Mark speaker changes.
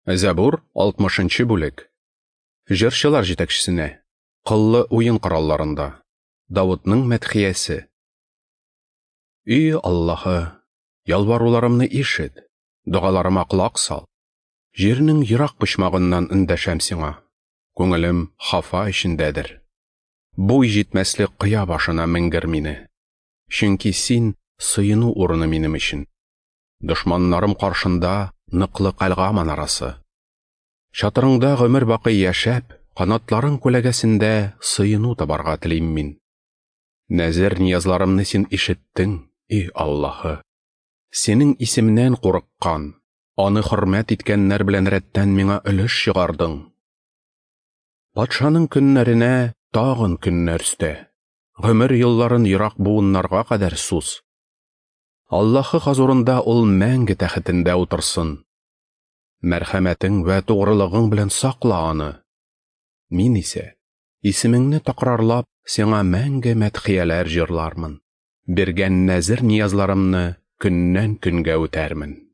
Speaker 1: Зәбур, 60 нчы бүлек. Җырчылар җитәкчесенә. Кыллы уен коралларында. Давытның мәдхиясе. И Аллаһы, ялваруларымны ишет, догаларыма колак сал. Җирнең ерак почмагыннан эндәшәм сиңа. Күңелем хафа эчендәдер. Буй җитмәслек кыя башына менгер мине. Чөнки син сыену урыны минем өчен. Дошманнарым каршында ныклы кальга манарасы. Чатырыңда гомер бакый яшәп, канатларың күләгәсендә сыену табарга телим мин. Нәзер ниязларымны син ишеттең, и Аллаһы. Синең исемнән курыккан, аны хөрмәт иткәннәр белән рәттән миңа өлеш чыгардың. Патшаның көннәренә тагын көннәр өстә, гомер елларын ерак буыннарга кадәр суз. Аллаһы хозурында ул мәңге тәхетендә утырсын. Мәрхәмәтең вә тугрылыгың белән сакла аны. Мин исә, исемеңне такрарлап, сиңа мәңге мәдхияләр җырлармын. Биргән нәзер ниязларымны көннән көнгә үтәрмен.